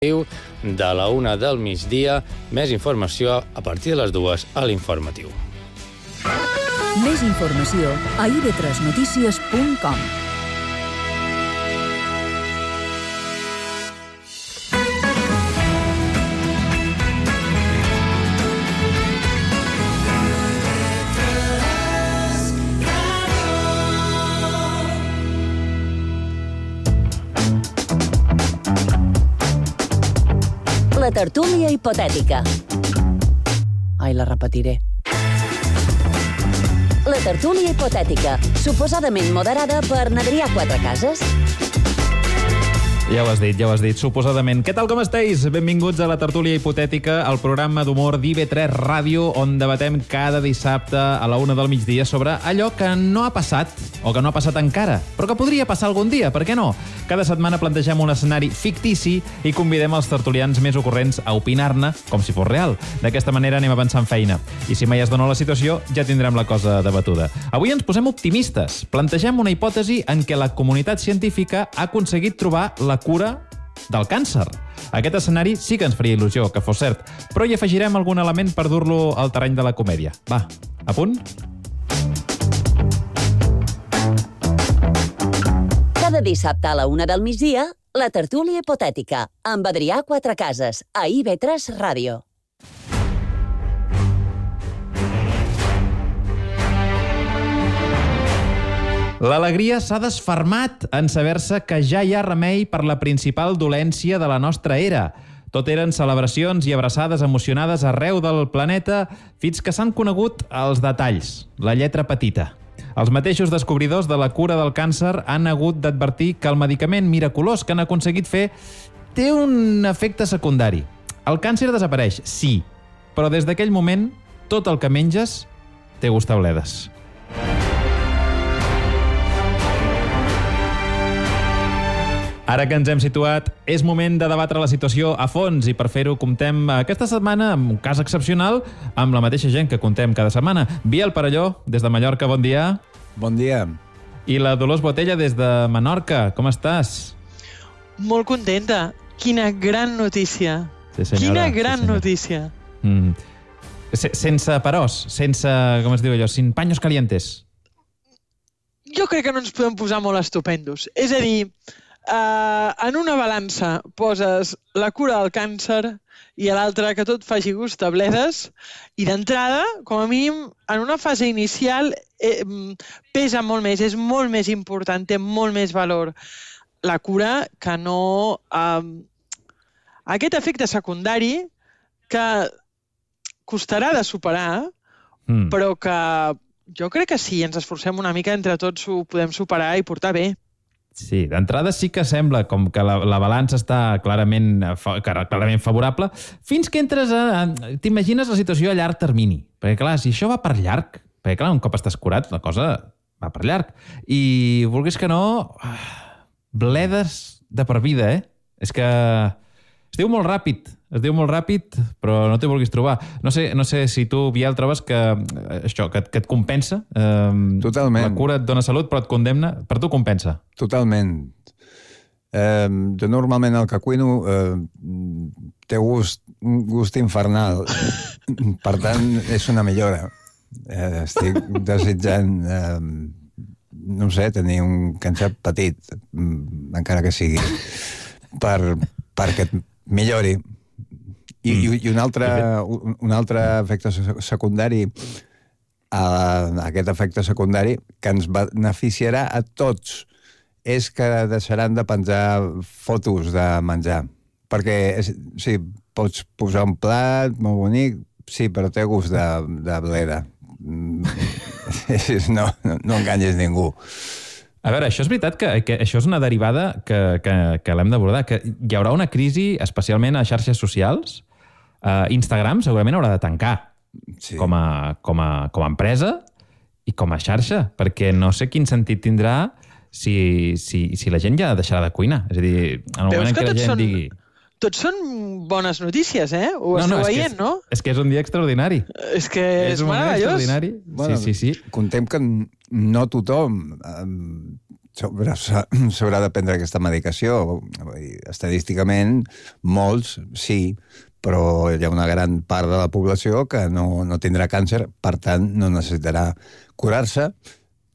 de la 1 del migdia. Més informació a partir de les 2 a l'informatiu. Més informació a ib3notícies.com. La tertúlia hipotètica. Ai, la repetiré. La tertúlia hipotètica, suposadament moderada per n'Adrià Quatrecases. Ja ho has dit, suposadament. Què tal, com esteu? Benvinguts a la tertúlia hipotètica, el programa d'humor d'IB3 Ràdio, on debatem cada dissabte a la 1 del migdia sobre allò que no ha passat, o que no ha passat encara, però que podria passar algun dia, per què no? Cada setmana plantegem un escenari fictici i convidem els tertulians més ocorrents a opinar-ne com si fos real. D'aquesta manera anem avançant feina. I si mai es dona la situació, ja tindrem la cosa debatuda. Avui ens posem optimistes. Plantegem una hipòtesi en què la comunitat científica ha aconseguit trobar la cura del càncer. Aquest escenari sí que ens faria il·lusió que fos cert, però hi afegirem algun element per dur-lo al terreny de la comèdia. Va, a punt? Cada dissabte a la 1 del migdia, la tertúlia hipotètica, amb Adrià Quatrecases, a IB3 Ràdio. L'alegria s'ha desfermat en saber-se que ja hi ha remei per la principal dolència de la nostra era. Tot eren celebracions i abraçades emocionades arreu del planeta fins que s'han conegut els detalls, la lletra petita. Els mateixos descobridors de la cura del càncer han hagut d'advertir que el medicament miraculós que han aconseguit fer té un efecte secundari. El càncer desapareix, sí, però des d'aquell moment tot el que menges té gust a bledes. Ara que ens hem situat, és moment de debatre la situació a fons i per fer-ho comptem aquesta setmana, amb un cas excepcional, amb la mateixa gent que contem cada setmana. Biel Parelló, des de Mallorca, bon dia. Bon dia. I la Dolors Botella, des de Menorca, com estàs? Molt contenta. Quina gran notícia. Sí, senyora. Quina gran notícia. Sense peròs, sense, com es diu allò, sin paños calientes. Jo crec que no ens podem posar molt estupendos. És a dir, en una balança poses la cura del càncer i a l'altra que tot faci gust a bledes, i d'entrada, com a mínim, en una fase inicial pesa molt més, és molt més important, té molt més valor la cura que no aquest efecte secundari que costarà de superar, però que jo crec que si ens esforcem una mica entre tots ho podem superar i portar bé. Sí, d'entrada sí que sembla com que la balança està clarament favorable, fins que entres a... T'imagines la situació a llarg termini. Perquè, clar, si això va per llarg, perquè, clar, un cop estàs curat, la cosa va per llarg. I, vulguis que no, bledes de per vida, eh? És que es diu molt ràpid, però no t'hi vulguis trobar. No sé si tu, Biel, trobes que això, que et compensa. Totalment. La cura et dona salut, però et condemna. Per tu compensa. Totalment. Jo normalment el que cuino té un gust infernal. Per tant, és una millora. Estic desitjant, no sé, tenir un càncer petit, encara que sigui, perquè et millori. I un altre efecte secundari, aquest efecte secundari que ens beneficiarà a tots, és que deixaran de penjar fotos de menjar. Perquè, sí, pots posar un plat molt bonic, sí, però té gust de bleda. No enganyes ningú. A veure, això és veritat que això és una derivada que l'hem d'abordar, que hi haurà una crisi, especialment a xarxes socials. Instagram segurament haurà de tancar, sí, com a empresa i com a xarxa, perquè no sé quin sentit tindrà si la gent ja deixarà de cuinar. És a dir, en el moment en què la gent digui... Tots són bones notícies, eh? Ho esteu veient, no? És que és un dia extraordinari. És que és meravellós. Bueno, sí. Contem que no tothom s'haurà de prendre aquesta medicació. Estadísticament, molts sí, però hi ha una gran part de la població que no tindrà càncer, per tant, no necessitarà curar-se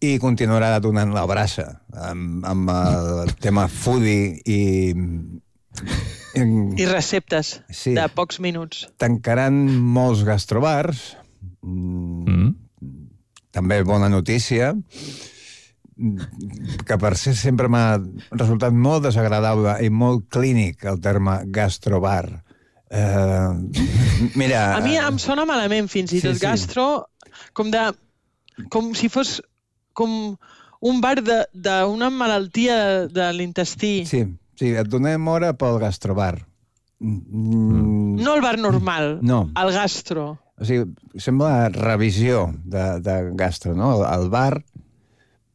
i continuarà donant la brassa amb el tema foodie I receptes de pocs minuts. Tancaran molts gastrobars. També bona notícia, que per ser sempre m'ha resultat molt desagradable i molt clínic el terme gastrobar. Mira... A mi em sona malament, fins i tot gastro, com si fos com un bar d'una malaltia de l'intestí. Sí, et donem hora pel gastrobar. No el bar normal, el gastro. O sigui, sembla revisió de gastro, no? El bar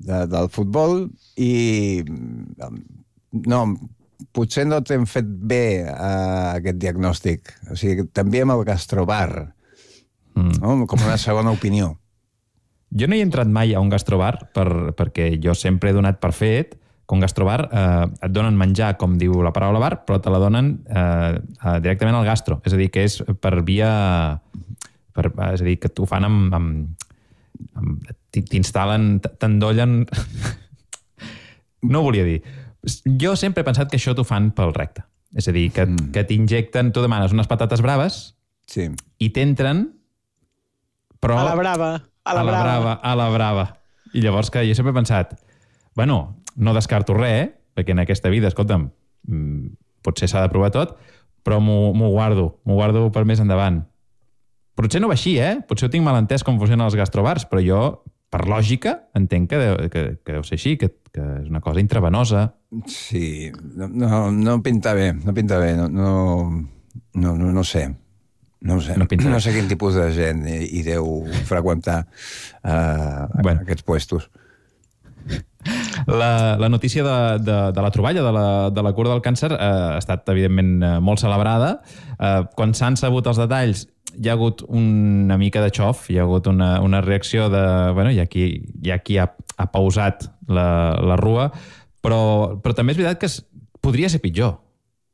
del futbol i... No, potser no t'hem fet bé aquest diagnòstic. O sigui, també amb el gastrobar, no? Com una segona opinió. Jo no hi he entrat mai a un gastrobar perquè jo sempre he donat per fet que un gastrobar et donen menjar, com diu la paraula bar, però te la donen directament al gastro. És a dir, que és per via... és a dir, que t'ho fan t'instal·len, t'endollen... No ho volia dir. Jo sempre he pensat que això t'ho fan pel recte. És a dir, que t'injecten... Tu demanes unes patates braves i t'entren, però... A la brava. A la brava. I llavors que jo sempre he pensat, bueno, no descarto res, perquè en aquesta vida, escolta'm, potser s'ha de provar tot, però m'ho guardo per més endavant. Potser no va així, Potser ho tinc mal entès com funcionen els gastrobars, però jo, per lògica, entenc que deu ser així, que és una cosa intravenosa. Sí, no pinta bé, no sé. No sé quin tipus de gent hi deu freqüentar aquests puestos. La notícia de la troballa de la cura del càncer ha estat, evidentment, molt celebrada. Quan s'han sabut els detalls, hi ha hagut una mica de xof, hi ha hagut una reacció de... Bueno, hi ha qui ha pausat la rua, però també és veritat que podria ser pitjor.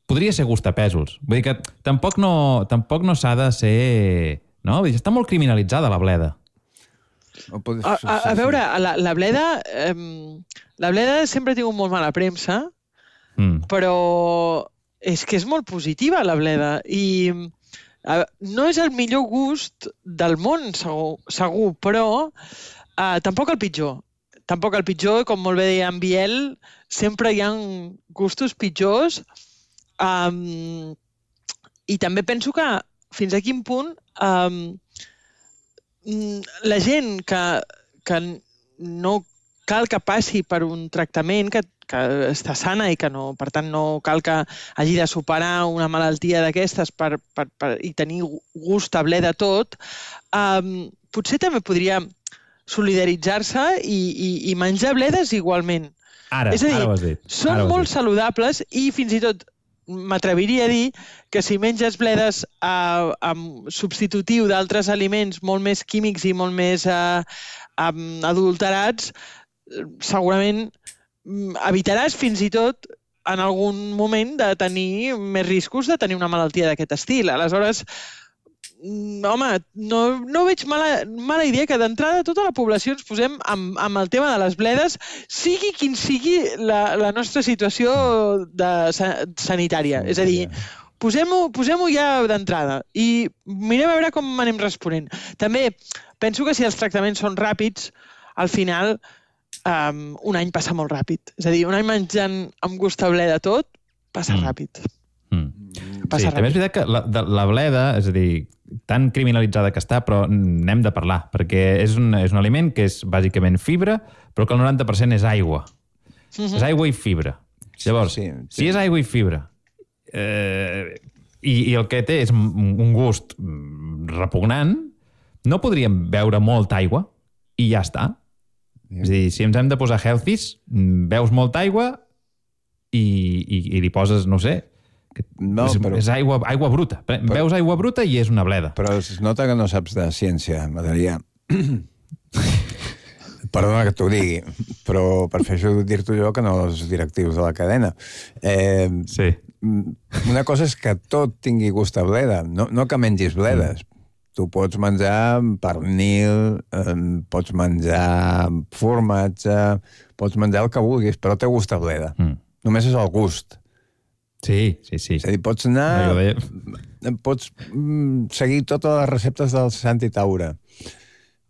Podria ser gustapèsols. Vull dir que tampoc no s'ha de ser... No? Està molt criminalitzada la bleda. A veure, la bleda... La bleda sempre ha tingut molt mala premsa, però és que és molt positiva, la bleda. I no és el millor gust del món, segur, però tampoc el pitjor. Tampoc el pitjor, com molt bé deia en Biel, sempre hi ha gustos pitjors. I també penso que fins a quin punt la gent que no cal que passi per un tractament que està sana i que no, per tant no cal que hagi de superar una malaltia d'aquestes i tenir gust a ble de tot, potser també podria solidaritzar-se i menjar bledes igualment. És a dir, són molt saludables i fins i tot m'atreviria a dir que si menges bledes amb substitutiu d'altres aliments molt més químics i molt més adulterats, segurament evitaràs fins i tot en algun moment de tenir més riscos de tenir una malaltia d'aquest estil. Aleshores, home, no veig mala idea que d'entrada tota la població ens posem amb el tema de les bledes, sigui quin sigui la nostra situació sanitària. És a dir, posem-ho ja d'entrada i mirem a veure com anem responent. També penso que si els tractaments són ràpids, al final un any passa molt ràpid. És a dir, un any menjant amb gust a bleda tot, passa ràpid. Sí, també és veritat que la bleda, és a dir, tan criminalitzada que està, però n'hem de parlar, perquè és un aliment que és bàsicament fibra, però que el 90% és aigua. És aigua i fibra. Llavors, si és aigua i fibra, i el que té és un gust repugnant, no podríem beure molta aigua i ja està. És a dir, si ens hem de posar healthies, beus molta aigua i li poses, no sé, és aigua bruta. Veus aigua bruta i és una bleda. Però es nota que no saps de ciència, Adrià. Perdona que t'ho digui, però prefereixo dir-t'ho jo que no els directius de la cadena. Sí. Una cosa és que tot tingui gust a bleda, no que mengis bledes. Tu pots menjar pernil, pots menjar formatge, pots menjar el que vulguis, però té gust a bleda. Només és el gust. Sí. És a dir, pots anar... Pots seguir totes les receptes del Santi Taura.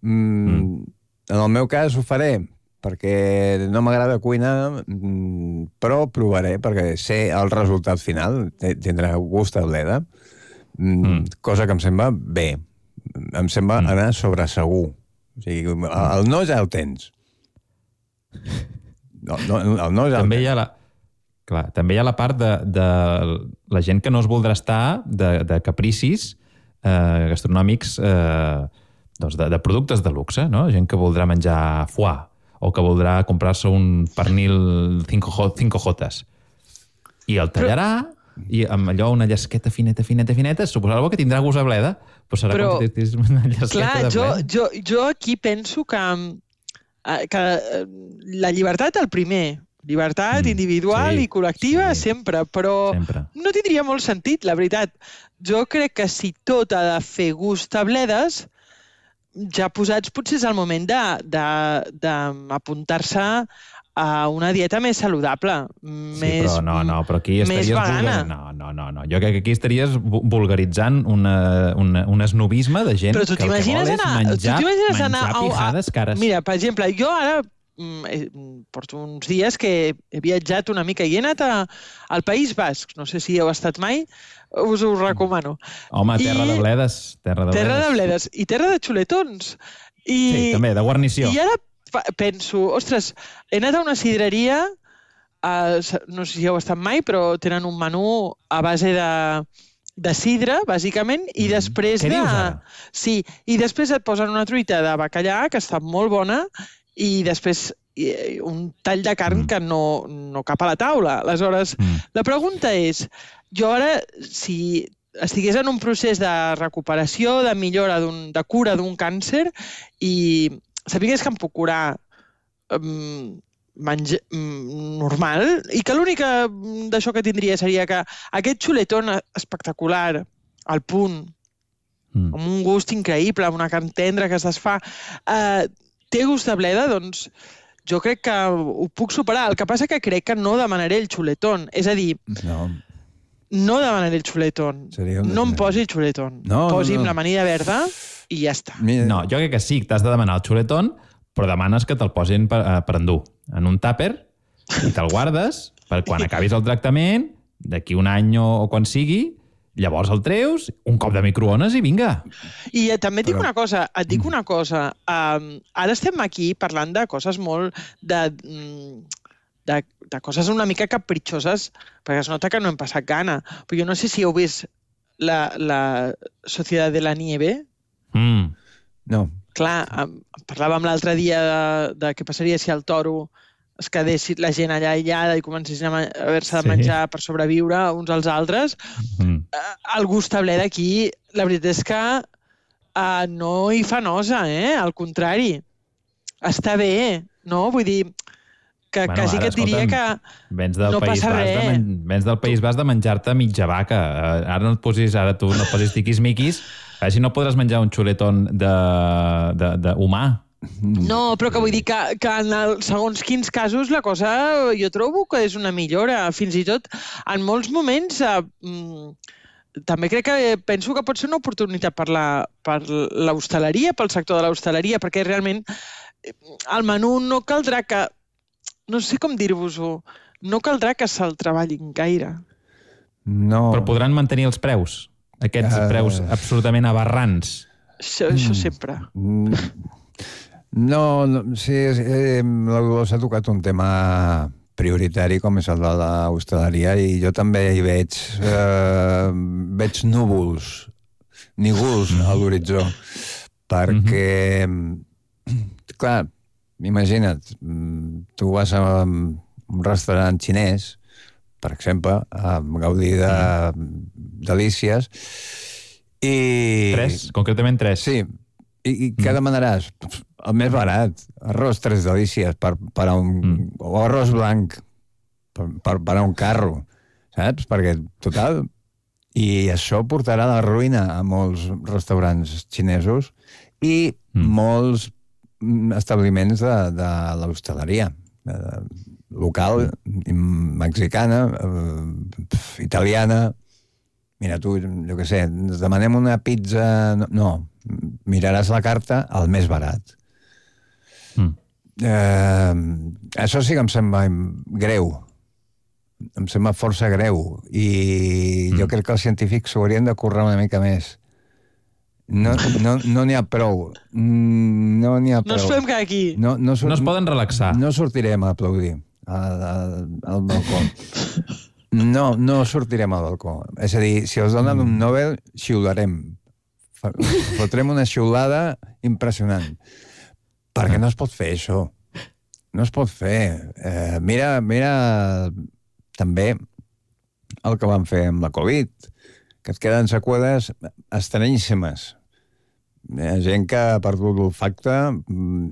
En el meu cas ho faré, perquè no m'agrada cuinar, però provaré, perquè sé el resultat final, tindrà gust a bleda, cosa que em sembla bé. Em sembla anar sobre segur. O sigui, el no ja el tens. El no ja també hi ha també hi ha la part de la gent que no es voldrà estar de capricis gastronòmics de productes de luxe, no? Gent que voldrà menjar foie o que voldrà comprar-se un pernil 5 jotes. I el tallarà i amb allò una llesqueta fineta, suposava que tindrà gust a bleda, però serà com si tens una llesqueta de bleda. Jo aquí penso que la llibertat el primer, llibertat individual i col·lectiva sempre, però no tindria molt sentit, la veritat. Jo crec que si tot ha de fer gust a bledes, ja posats potser és el moment d'apuntar-se a una dieta més saludable, però aquí més vegana. No. Jo crec que aquí estaries vulgaritzant un esnovisme de gent que el que vol és menjar pijades cares. Mira, per exemple, jo ara porto uns dies que he viatjat una mica i he anat al País Basc. No sé si heu estat mai, us ho recomano. Home, terra de bledes. Terra de bledes i terra de xuletons. Sí, també, de guarnició. I ara penso, ostres, he anat a una sidreria, no sé si heu estat mai, però tenen un menú a base de sidra, bàsicament, i després Què dius ara? Sí, i després et posen una truita de bacallà, que està molt bona, i després un tall de carn que no cap a la taula. Aleshores, la pregunta és, jo ara, si estigués en un procés de recuperació, de millora, de cura d'un càncer, i sapigués que em puc curar normal, i que l'única d'això que tindria seria que aquest xuletón espectacular, al punt, amb un gust increïble, amb una carn tendra que es desfà, té gust de bleda, doncs jo crec que ho puc superar. El que passa que crec que no demanaré el xuletón. És a dir, no demanaré el xuletón. No em posi el xuletón. Posi'm l'amanida verda i ja està. No, jo crec que sí, t'has de demanar el xuletón, però demanes que te'l posin per endur en un tàper i te'l guardes per quan acabis el tractament, d'aquí un any o quan sigui, llavors el treus, un cop de microones i vinga. I també et dic una cosa, ara estem aquí parlant de coses molt de coses una mica capritxoses, perquè es nota que no hem passat gana. Però jo no sé si heu vist la Sociedad de la Nieve. No. Clar, parlàvem l'altre dia de què passaria si el toro es quedés la gent allà aïllada i comencessin a haver-se de menjar per sobreviure uns als altres. El gust a bleda aquí, la veritat és que no hi fa nosa, al contrari. Està bé, no? Vull dir, que quasi que et diria que no passa res. Vens del País Basc de menjar-te mitja vaca. Ara tu no et posis tiquis-miquis, així no podràs menjar un xuletón d'humà. No, però que vull dir que en segons quins casos la cosa jo trobo que és una millora. Fins i tot en molts moments també crec que penso que pot ser una oportunitat per l'hostaleria, pel sector de l'hostaleria, perquè realment el menú no caldrà que, no sé com dir-vos-ho, no caldrà que se'l treballin gaire. No. Però podran mantenir els preus, aquests preus absolutament aberrants. Això sempre. No, sí, la Dolors ha tocat un tema prioritari com és el de l'hostaleria i jo també hi veig núvols, nígols a l'horitzó, perquè, clar, imagina't, tu vas a un restaurant xinès, per exemple, a gaudir de delícies, i... Concretament 3. Sí, i què demanaràs? El més barat. Arròs Tres Delícies per a un... O arròs blanc per a un carro, saps? Perquè, total... I això portarà a la ruïna a molts restaurants xinesos i molts establiments de l'hostaleria local, mexicana, italiana. Mira, tu, jo què sé, ens demanem una pizza... No, miraràs la carta al més barat. Això sí que em sembla greu. Em sembla força greu i jo crec que els científics s'ho haurien de currar una mica més. No n'hi ha prou. No n'hi ha prou. No ens podem quedar aquí. No es poden relaxar. No sortirem a aplaudir al balcó. No sortirem al balcó. És a dir, si els donen un Nobel, xiularem. Fotrem una xiulada impressionant. Perquè no es pot fer això. No es pot fer. Mira també el que van fer amb la Covid, que et queden seqüeles estranyíssimes. Hi ha gent que ha perdut l'olfacte,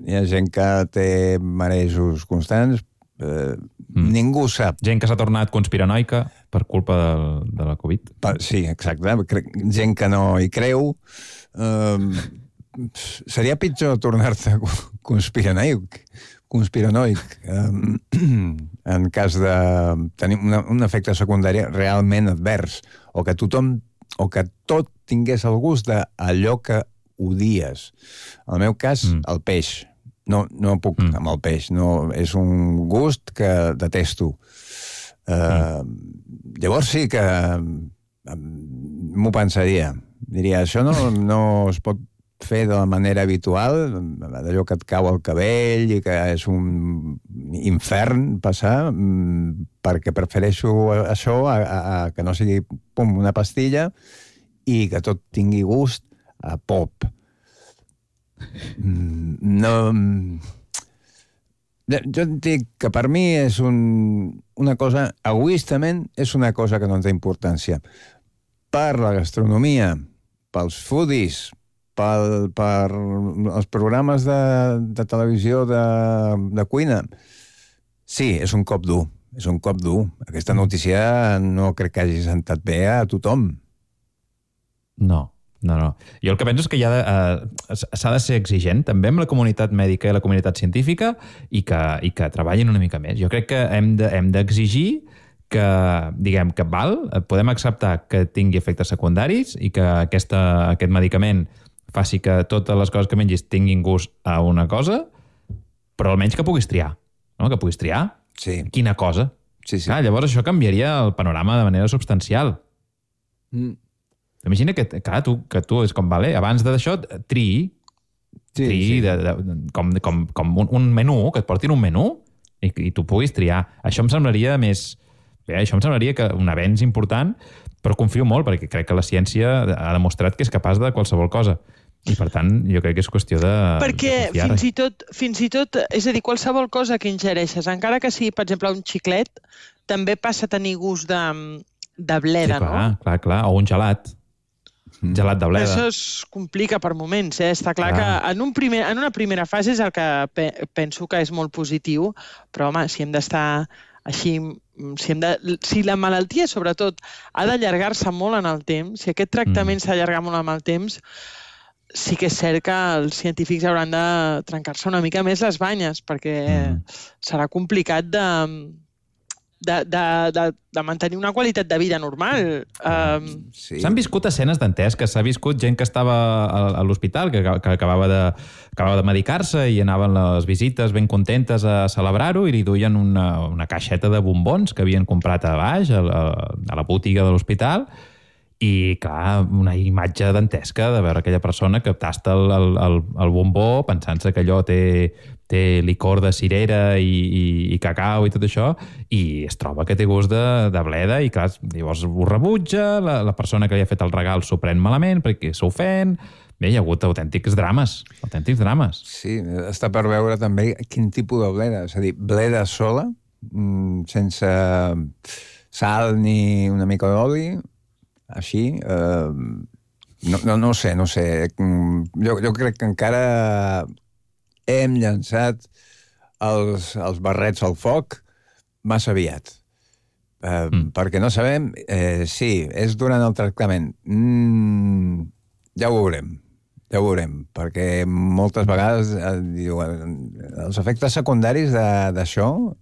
hi ha gent que té marejos constants, ningú sap. Gent que s'ha tornat conspiranoica per culpa de la Covid. Sí, exacte. Gent que no hi creu. Seria pitjor tornar-te conspiranoic en cas de tenir un efecte secundari realment advers, o que tot tingués el gust d'allò que odies. En el meu cas, el peix. No puc amb el peix. No, és un gust que detesto. Llavors sí que m'ho pensaria. Diria, això no es pot fer de la manera habitual, d'allò que et cau al cabell i que és un infern passar, perquè prefereixo això a que no sigui una pastilla i que tot tingui gust a pop. Jo et dic que per mi és una cosa, egoistament, és una cosa que no té importància. Per la gastronomia, pels foodies, per els programes de televisió de cuina. Sí, és un cop dur. És un cop dur. Aquesta notícia no crec que hagi sentat bé a tothom. No. Jo el que penso és que s'ha de ser exigent també amb la comunitat mèdica i la comunitat científica i que treballin una mica més. Jo crec que hem d'exigir que, diguem, que podem acceptar que tingui efectes secundaris i que aquest medicament faci que totes les coses que mengis tinguin gust a una cosa, però almenys que puguis triar. No? Que puguis triar quina cosa. Sí. Clar, llavors això canviaria el panorama de manera substancial. Imagina que tu és com, abans d'això, triï com un menú, que et portin un menú i tu puguis triar. Això em semblaria que un avenç important, però confio molt, perquè crec que la ciència ha demostrat que és capaç de qualsevol cosa. I, per tant, jo crec que és qüestió de... Perquè fins i tot, és a dir, qualsevol cosa que ingereixes, encara que sigui, per exemple, un xiclet, també passa a tenir gust de bleda, no? Clar. O un gelat. Gelat de bleda. Això es complica per moments, eh? Està clar que en una primera fase és el que penso que és molt positiu, però, home, si hem d'estar així... Si la malaltia, sobretot, ha d'allargar-se molt en el temps, si aquest tractament s'allarga molt en el temps, sí que és cert que els científics hauran de trencar-se una mica més les banyes, perquè serà complicat de mantenir una qualitat de vida normal. S'han viscut escenes dantesques, que s'ha viscut gent que estava a l'hospital, que acabava de medicar-se i anaven les visites ben contentes a celebrar-ho i li duien una caixeta de bombons que havien comprat a baix, a la botiga de l'hospital. I, clar, una imatge dantesca de veure aquella persona que tasta el bombó pensant-se que allò té licor de cirera i cacau i tot això, i es troba que té gust de bleda i, clar, llavors ho rebutja, la persona que li ha fet el regal s'ho pren malament perquè s'ofèn. Bé, hi ha hagut autèntics drames. Sí, està per veure també quin tipus de bleda. És a dir, bleda sola, sense sal ni una mica d'oli, així, no sé. Jo crec que encara hem llançat els barrets al foc massa aviat. Perquè no sabem si és durant el tractament. Ja ho veurem, perquè moltes vegades diuen els efectes secundaris d'això,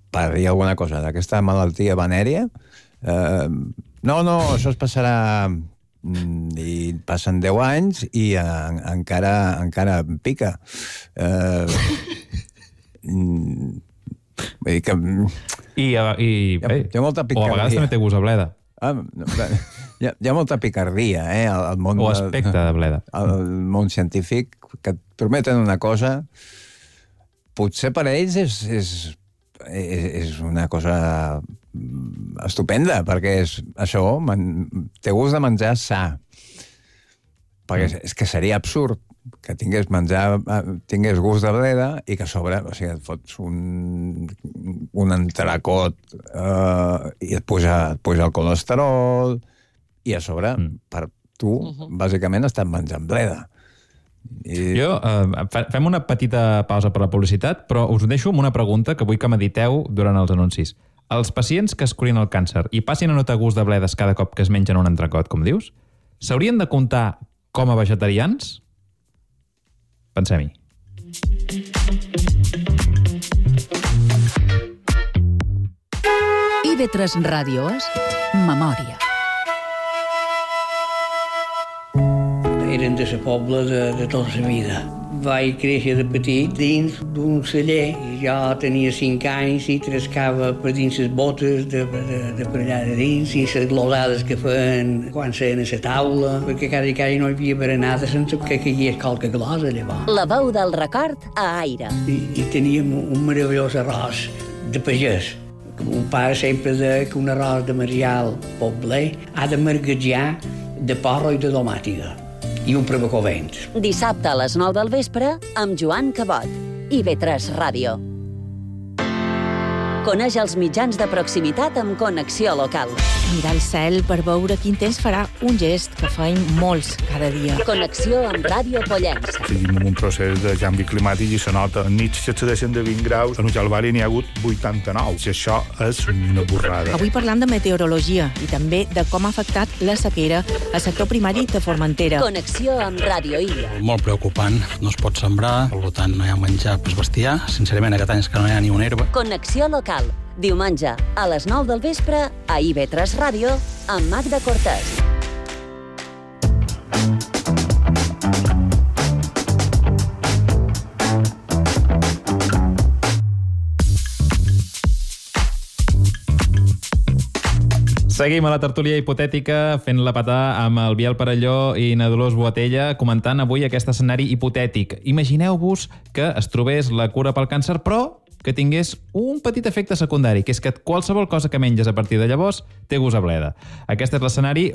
per dir alguna cosa, d'aquesta malaltia venèria, no, això es passarà i passen 10 anys i encara pica. Vull dir que... Hi ha molta picardia. O a vegades també té gust a bleda. Hi ha molta picardia, al món... O aspecte de bleda. Al món científic, que et prometen una cosa, potser per a ells és una cosa estupenda, perquè és això, té gust de menjar sa. Perquè és que seria absurd que tingués gust de bleda i que a sobre, o sigui, et fots un entrecot i et puja el colesterol i a sobre, per tu, bàsicament estàs menjant bleda. Fem una petita pausa per la publicitat, però us deixo amb una pregunta que vull que mediteu durant els anuncis. Els pacients que es curin el càncer i passin a notar gust de bledes cada cop que es mengen un entrecot, com dius, s'haurien de comptar com a vegetarians? Pensem-hi. IB3 Ràdio és Memòria. Eren de la pobla de tota la vida. Vaig créixer de petit dins d'un celler. Jo tenia 5 anys i trascava per dins les botes de per allà de dins i les glosades que feien quan seien a la taula, perquè cada no hi havia berenada sense que caigués qualque glosa, llavors. La veu del record a Aire. I teníem un meravellós arròs de pagès. Un pare sempre deia que un arròs de Marial Pobler ha de marguejar de porro i de domàtiga. I un prebacovent. Dissabte a les 9 del vespre amb Joan Cabot. IB3 Ràdio. Coneix els mitjans de proximitat amb connexió local. Mirar el cel per veure quin temps farà, un gest que feim molts cada dia. Connexió amb Ràdio Pollença. Tenim un procés de canvi climàtic i se nota. En nits s'excedeixen de 20 graus, en Ujalbari n'hi ha hagut 89. I això és una borrada. Avui parlant de meteorologia i també de com ha afectat la sequera al sector primari de Formentera. Connexió amb Ràdio Illa. Molt preocupant. No es pot sembrar, per tant no hi ha menjar per bestiar. Sincerament, aquest any és que no hi ha ni una herba. Connexió local. Diumenge, a les 9 del vespre, a IB3 Ràdio, amb Magda Cortés. Seguim a la tertúlia hipotètica fent-la petar amb el Biel Parelló i na Dolors Boatella comentant avui aquest escenari hipotètic. Imagineu-vos que es trobés la cura pel càncer, però que tingués un petit efecte secundari, que és que qualsevol cosa que menges a partir de llavors té gust a bleda. Aquest és l'escenari.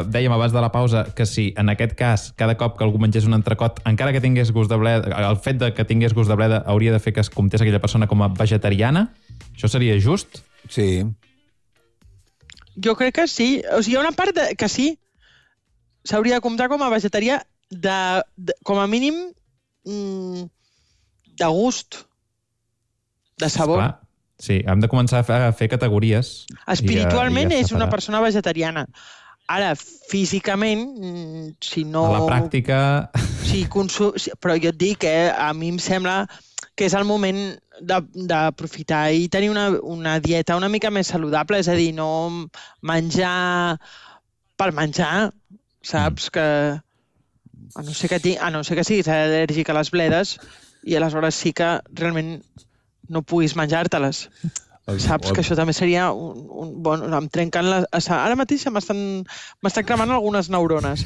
Dèiem abans de la pausa que si en aquest cas cada cop que algú mengés un entrecot, encara que tingués gust de bleda, el fet de que tingués gust de bleda hauria de fer que es comptés aquella persona com a vegetariana. Això seria just? Sí. Jo crec que sí. O sigui, hi ha una part que sí. S'hauria de comptar com a vegetarià com a mínim de gust, de sabor. Esclar. Sí, hem de començar a fer categories. Espiritualment és una persona vegetariana. Ara, físicament, si no... A la pràctica... Sí, però jo et dic que a mi em sembla que és el moment d'aprofitar i tenir una dieta una mica més saludable, és a dir, no menjar per menjar, saps? Que a no ser que siguis al·lèrgic a les bledes i aleshores sí que realment no puguis menjar-te-les. Saps que això també seria em trenquen ara mateix m'estan cremant algunes neurones.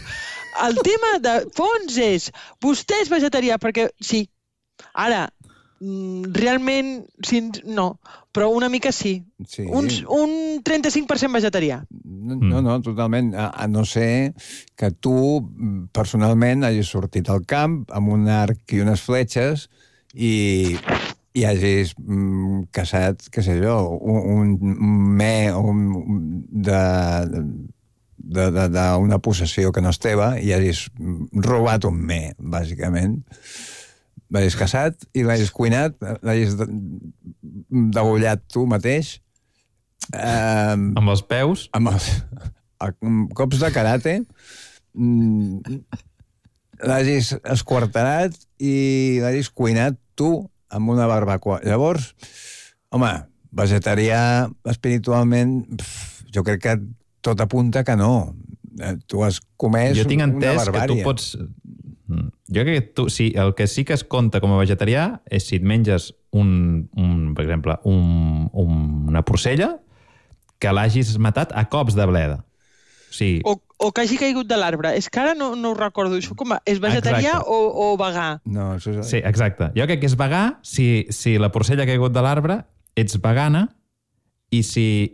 El tema de fons és vostè és vegetarià perquè sí. Ara, realment no, però una mica sí. Un 35% vegetarià. No, totalment. A no ser que tu personalment hagis sortit al camp amb un arc i unes fletxes i hagis caçat, què sé jo, un me d'una possessió que no és teva i hagis robat un me, bàsicament. L'hagis caçat i l'hagis cuinat, l'hagis degollat tu mateix. Amb els peus? Amb cops de karate. L'hagis esquarterat i l'hagis cuinat tu amb una barbacoa. Llavors, home, vegetarià espiritualment, jo crec que tot apunta que no. Tu has comès una barbària. Jo tinc entès que tu pots... Jo crec que tu, sí, el que sí que es compta com a vegetarià és si et menges per exemple, una porcella que l'hagis matat a cops de bleda. Sí. O que hagi caigut de l'arbre. És que ara no ho recordo. Això com és vegetarià o vegà? No, això és... Sí, exacte. Jo crec que és vegà si la porcella ha caigut de l'arbre, ets vegana, i si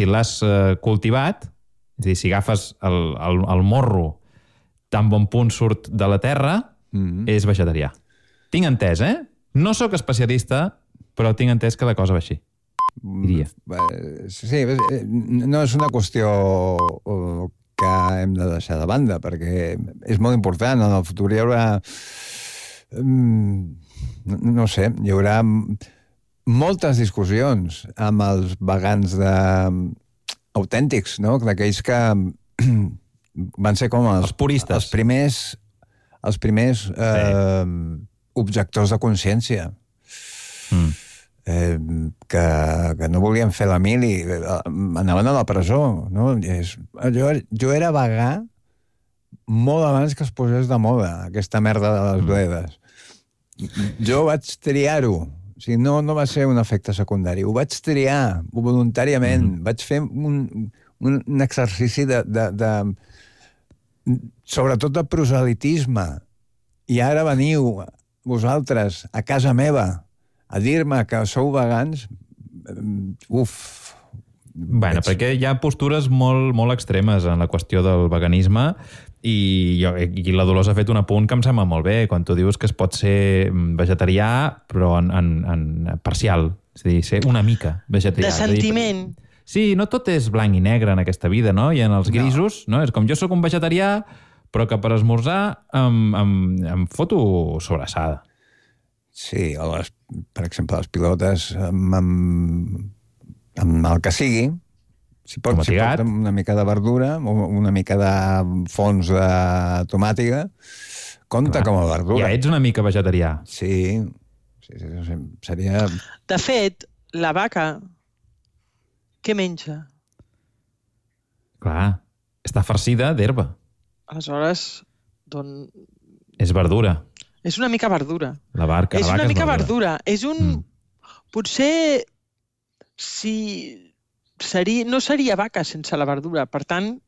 l'has cultivat, és a dir, si agafes el morro tan bon punt surt de la terra, és vegetarià. Tinc entès, No sóc especialista, però tinc entès que la cosa va així. Diria. Sí, no és una qüestió que hem de deixar de banda, perquè és molt important. En el futur hi haurà... No sé, hi haurà moltes discussions amb els vegans autèntics, no? D'aquells que van ser com els puristes. Els primers objectors de consciència. Que no volien fer la mili, anaven a la presó. No? Jo era vegà molt abans que es posés de moda aquesta merda de les bledes. Jo vaig triar-ho. O sigui, no va ser un efecte secundari. Ho vaig triar voluntàriament. Vaig fer un exercici sobretot de proselitisme. I ara veniu vosaltres a casa meva a dir-me que sou vegans, Bueno, perquè hi ha postures molt extremes en la qüestió del veganisme i la Dolors ha fet un apunt que em sembla molt bé, quan tu dius que es pot ser vegetarià però en parcial, és a dir, ser una mica vegetarià. De sentiment. Sí, no tot és blanc i negre en aquesta vida, no? I en els grisos, no? És com jo sóc un vegetarià però que per esmorzar em foto sobrassada. Sí, per exemple, les pilotes amb el que sigui, si pot una mica de verdura o una mica de fons de tomàtica, compta com a verdura. Ja ets una mica vegetarià. Sí, seria... De fet, la vaca, què menja? Clar, està farcida d'herba. Aleshores, és verdura. És una mica verdura. La vaca és una mica verdura. És un... Potser no seria vaca sense la verdura. Per tant,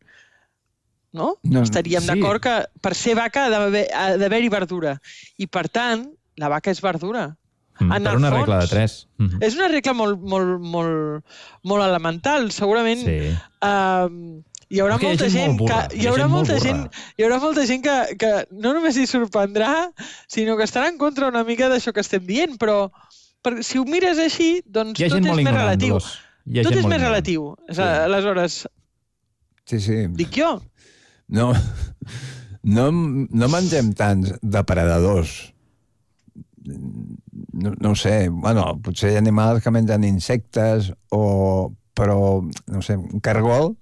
no? Estaríem d'acord que per ser vaca ha d'haver-hi verdura. I per tant, la vaca és verdura. Per una regla de 3. És una regla molt elemental. Segurament... Hi haurà molta gent que no només hi sorprendrà, sinó que estarà en contra una mica d'això que estem dient, però si ho mires així, doncs tot és més relatiu. Tot és més relatiu. Aleshores, dic jo. No mengem tants depredadors. No ho sé, bueno, potser hi ha animals que mengen insectes, però, no sé, un cargol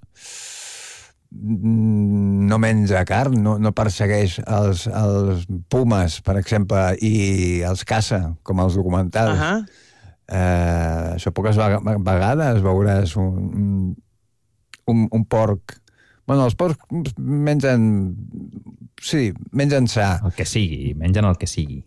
no menja carn, no persegueix els pumes, per exemple, i els caça, com els documentals. Això poques vegades veuràs un porc... Bueno, els porcs mengen... Sí, mengen sa. El que sigui, mengen el que sigui.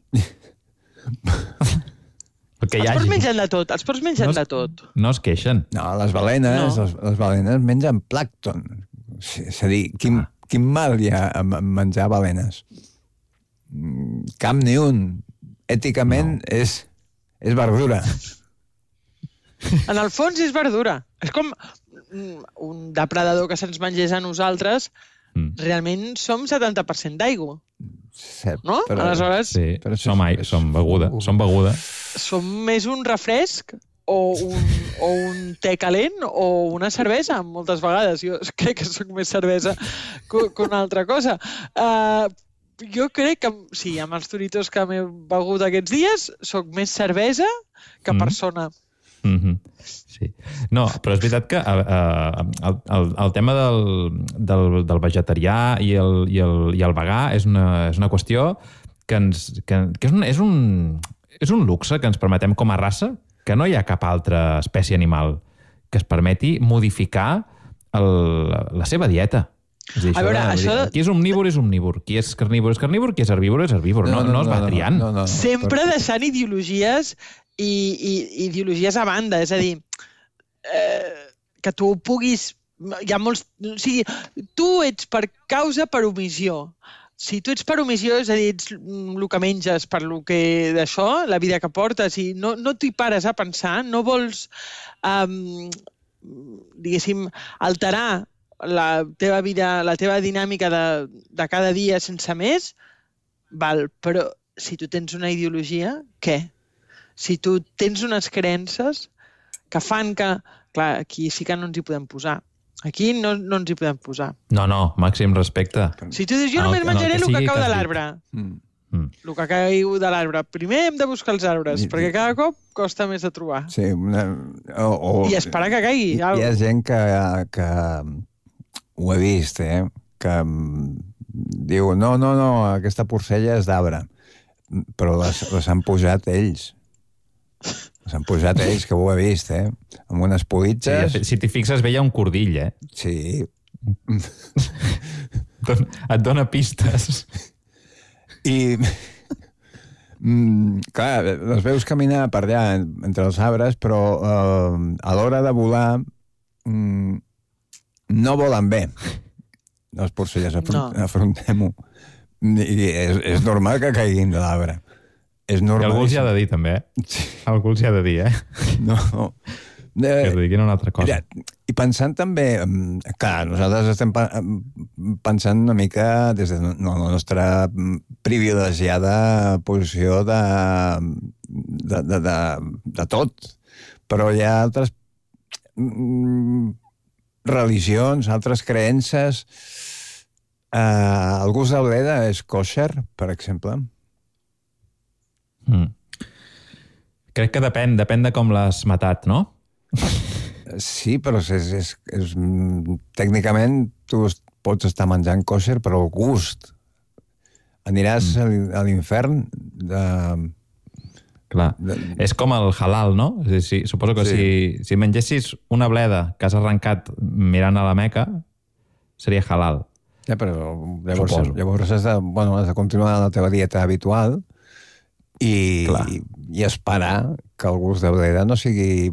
Els porcs mengen de tot, els porcs mengen de tot. No es queixen. No, les balenes mengen plàncton. És a dir, quin mal hi ha a menjar balenes? Cap ni un. Èticament és verdura. En el fons és verdura. És com un depredador que se'ns mengés a nosaltres. Realment som 70% d'aigua. No? Aleshores... Sí, som beguda. Som més un refresc o un te calent o una cervesa, moltes vegades. Jo crec que soc més cervesa que una altra cosa. Jo crec que, sí, amb els Doritos que m'he begut aquests dies, soc més cervesa que persona. Sí. No, però és veritat que el tema del vegetarià i el vegà és una qüestió que és un luxe que ens permetem com a raça, que no hi ha cap altra espècie animal que es permeti modificar la seva dieta. És a dir, A veure, qui és omnívor és omnívor, qui és carnívor és carnívor, qui és herbívor és herbívor. No es va triant. Sempre deixant ideologies i ideologies a banda. És a dir, que tu puguis... Hi ha molts... O sigui, tu ets per causa per omissió. Si tu ets per omissió, és a dir, ets el que menges per lo que d'això, la vida que portes, i no t'hi pares a pensar, no vols, diguéssim, alterar la teva vida, la teva dinàmica de cada dia sense més, val, però si tu tens una ideologia, què? Si tu tens unes creences que fan que... Clar, aquí sí que no ens hi podem posar. Aquí no ens hi podem posar. No, màxim respecte. Si tu dius, jo només menjaré el que cau de l'arbre. El que cau de l'arbre. Primer hem de buscar els arbres, perquè cada cop costa més de trobar. Sí, I esperar que caigui. Hi ha gent que ho he vist, que diu, no, aquesta porcella és d'arbre, però les han posat ells. S'han posat ells, que ho he vist, amb unes politges. Sí, si t'hi fixes, veia un cordill, Sí. Et dona pistes. I, clar, les veus caminar per allà entre els arbres, però a l'hora de volar no volen bé. Les porcelles, afrontem-ho. I és normal que caiguin de l'arbre. És normal. I algú els hi ha de dir, també, Algú els hi ha de dir, No. Que es diguin una altra cosa. I pensant també... Clar, nosaltres estem pensant una mica des de la nostra privilegiada posició de tot. Però hi ha altres religions, altres creences. El gust de bleda és kosher, per exemple. Crec que depèn de com l'has matat, no? Sí, però tècnicament tu pots estar menjant kosher, però el gust. Aniràs a l'infern Clar, és com el halal, no? És dir, suposo que si mengessis una bleda que has arrencat mirant a la Meca, seria halal. Ja, però llavors has de continuar la teva dieta habitual i esperar que el gust de bleda no sigui...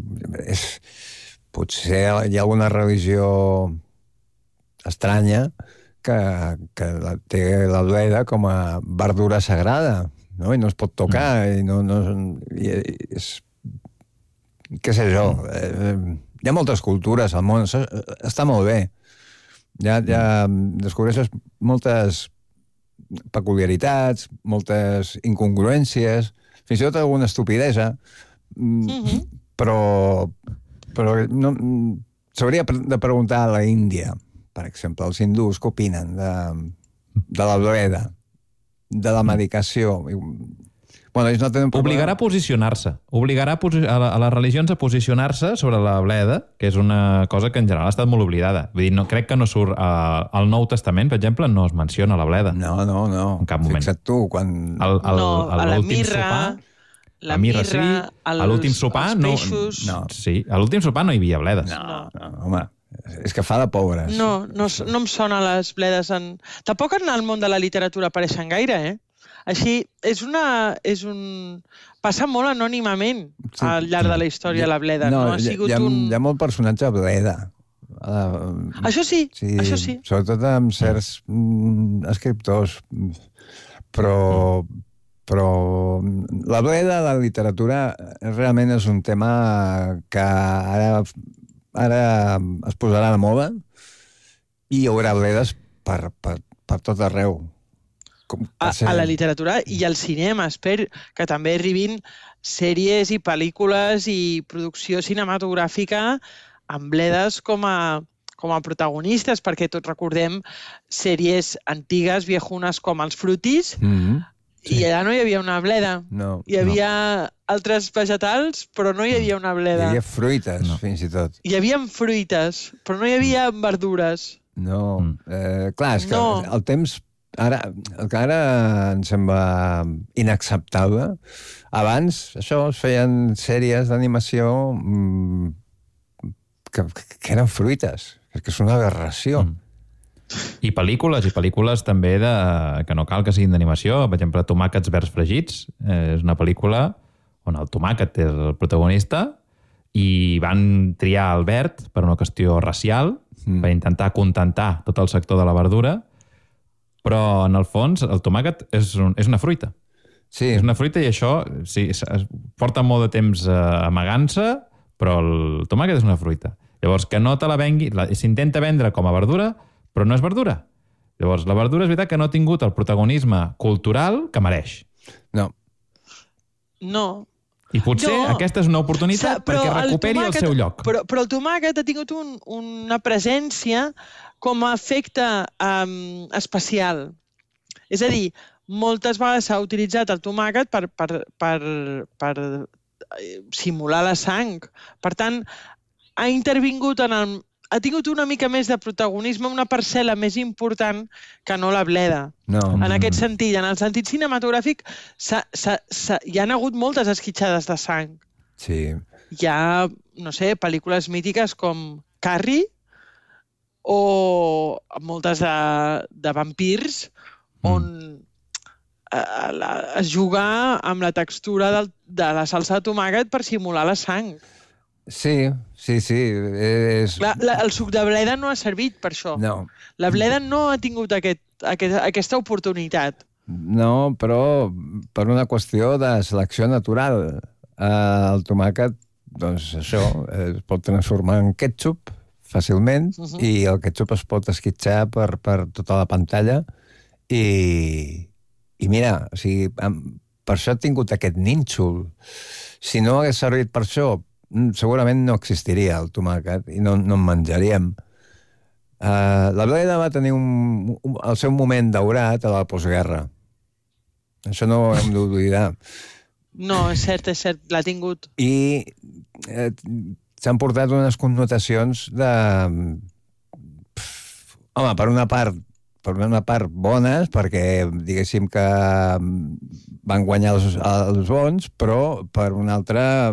Potser hi ha alguna religió estranya que té la bleda com a verdura sagrada, no? I no es pot tocar, i què sé jo. Hi ha moltes cultures al món, està molt bé. Ja descobreixes moltes peculiaritats, moltes incongruències, fins i tot alguna estupidesa, però s'hauria de preguntar a la Índia, per exemple, els hindús, què opinen de la bleda, de la medicació. Bueno, ells no tenen problema. Obligarà a posicionar-se. Obligarà a les religions a posicionar-se sobre la bleda, que és una cosa que en general ha estat molt oblidada. Vull dir, crec que no surt... Al Nou Testament, per exemple, no es menciona la bleda. No. En cap moment. Fixa't tu, quan... A la mirra... La mirra, sí. A l'últim sopar, no. Sí, a l'últim sopar no hi havia bledes. No, home, és que fa de pobres. No em sona les bledes en... Tampoc en el món de la literatura apareixen gaire, Així, passa molt anònimament al llarg de la història la bleda. Hi ha molt personatge bleda. Això sí. Sobretot amb certs escriptors. Però la bleda de la literatura realment és un tema que ara es posarà de moda i hi haurà bledes per tot arreu. a la literatura i al cinema. Espero que també arribin sèries i pel·lícules i producció cinematogràfica amb bledes com a protagonistes, perquè tots recordem sèries antigues, viejunes, com els Fruities, i allà no hi havia una bleda. Hi havia altres vegetals, però no hi havia una bleda. Hi havia fruites, fins i tot. Hi havia fruites, però no hi havia verdures. No. Clar, és que el temps... El que ara ens sembla inacceptable, abans, això, es feien sèries d'animació que eren fruites, que és una aberració. I pel·lícules també que no cal que siguin d'animació. Per exemple, Tomàquets verds fregits és una pel·lícula on el tomàquet és el protagonista i van triar el verd per una qüestió racial, per intentar acontentar tot el sector de la verdura, però en el fons el tomàquet és una fruita. Sí. És una fruita i això porta molt de temps amagant-se, però el tomàquet és una fruita. Llavors, que no te la vengui, s'intenta vendre com a verdura, però no és verdura. Llavors, la verdura és veritat que no ha tingut el protagonisme cultural que mereix. No. I potser aquesta és una oportunitat perquè recuperi el seu lloc. Però el tomàquet ha tingut una presència com a efecte especial. És a dir, moltes vegades s'ha utilitzat el tomàquet per simular la sang. Per tant, ha intervingut ha tingut una mica més de protagonisme, una parcel·la més important que no la bleda. En aquest sentit, en el sentit cinematogràfic, hi ha hagut moltes esquitxades de sang. Sí. Hi ha, no sé, pel·lícules mítiques com Carrie o moltes de vampirs on es juga amb la textura de la salsa de tomàquet per simular la sang. Sí. El suc de bleda no ha servit per això. No. La bleda no ha tingut aquesta oportunitat. No, però per una qüestió de selecció natural. El tomàquet, doncs això, es pot transformar en ketchup fàcilment i el ketchup es pot esquitxar per tota la pantalla i mira, o sigui, per això ha tingut aquest nínxol. Si no hagués servit per això, segurament no existiria el tomàquet i no en menjaríem. La bleda va tenir el seu moment daurat a la postguerra. Això no ho hem d'oblidar. No, és cert, l'ha tingut. I s'han portat unes connotacions de... Home, per una part bones, perquè diguéssim que van guanyar els bons, però per una altra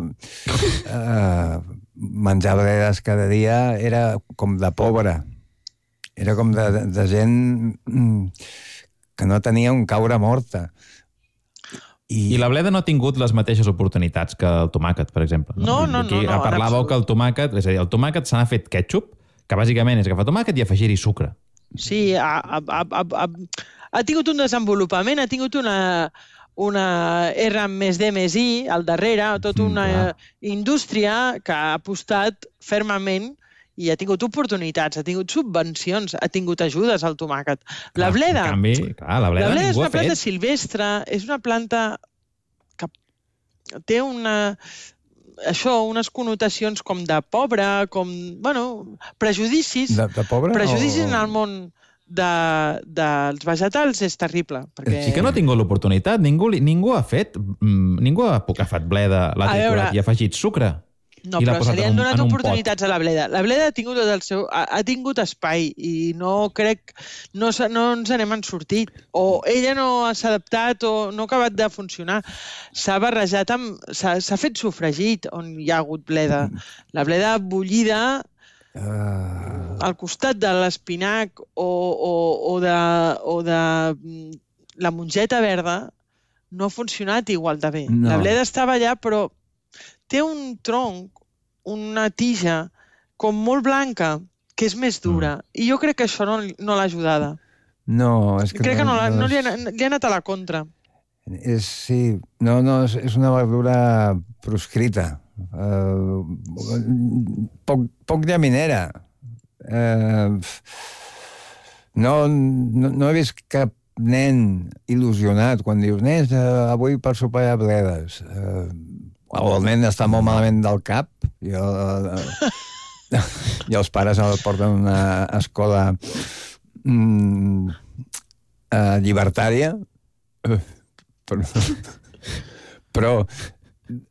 menjar bledes cada dia era com de pobre. Era com de gent que no tenia on caure morta. I la bleda no ha tingut les mateixes oportunitats que el tomàquet, per exemple. No. Aquí parlàveu que el tomàquet... És a dir, el tomàquet se n'ha fet ketchup, que bàsicament és agafar tomàquet i afegir-hi sucre. Sí, ha tingut un desenvolupament, ha tingut una R+D+I al darrere, tota una indústria que ha apostat fermament i ha tingut oportunitats, ha tingut subvencions, ha tingut ajudes al tomàquet. La bleda... En canvi, la bleda és ningú una ha fet. planta silvestre, és una planta que té unes connotacions com de pobre, com, prejudicis. De pobre? Prejudicis en el món dels vegetals és terrible. Perquè... Sí que no ha tingut l'oportunitat. Ningú ha fet... Ningú ha agafat bleda, l'ha triturat i ha afegit sucre. No, però se li han donat oportunitats a la bleda. La bleda ha tingut espai i no ens n'hem sortit. O ella no s'ha adaptat o no ha acabat de funcionar. S'ha barrejat s'ha fet sofregit on hi ha hagut bleda. La bleda bullida al costat de l'espinac o de la mongeta verda no ha funcionat igual de bé. La bleda estava allà, però té un tronc, una tija, com molt blanca, que és més dura. I jo crec que això no l'ha ajudada. No, és que... Crec que li ha anat a la contra. Sí, és una verdura proscrita. Poc llaminera. No he vist cap nen il·lusionat quan dius, nens, avui per sopar a bledes. El nen està molt malament del cap i els pares el porten a una escola llibertària. Però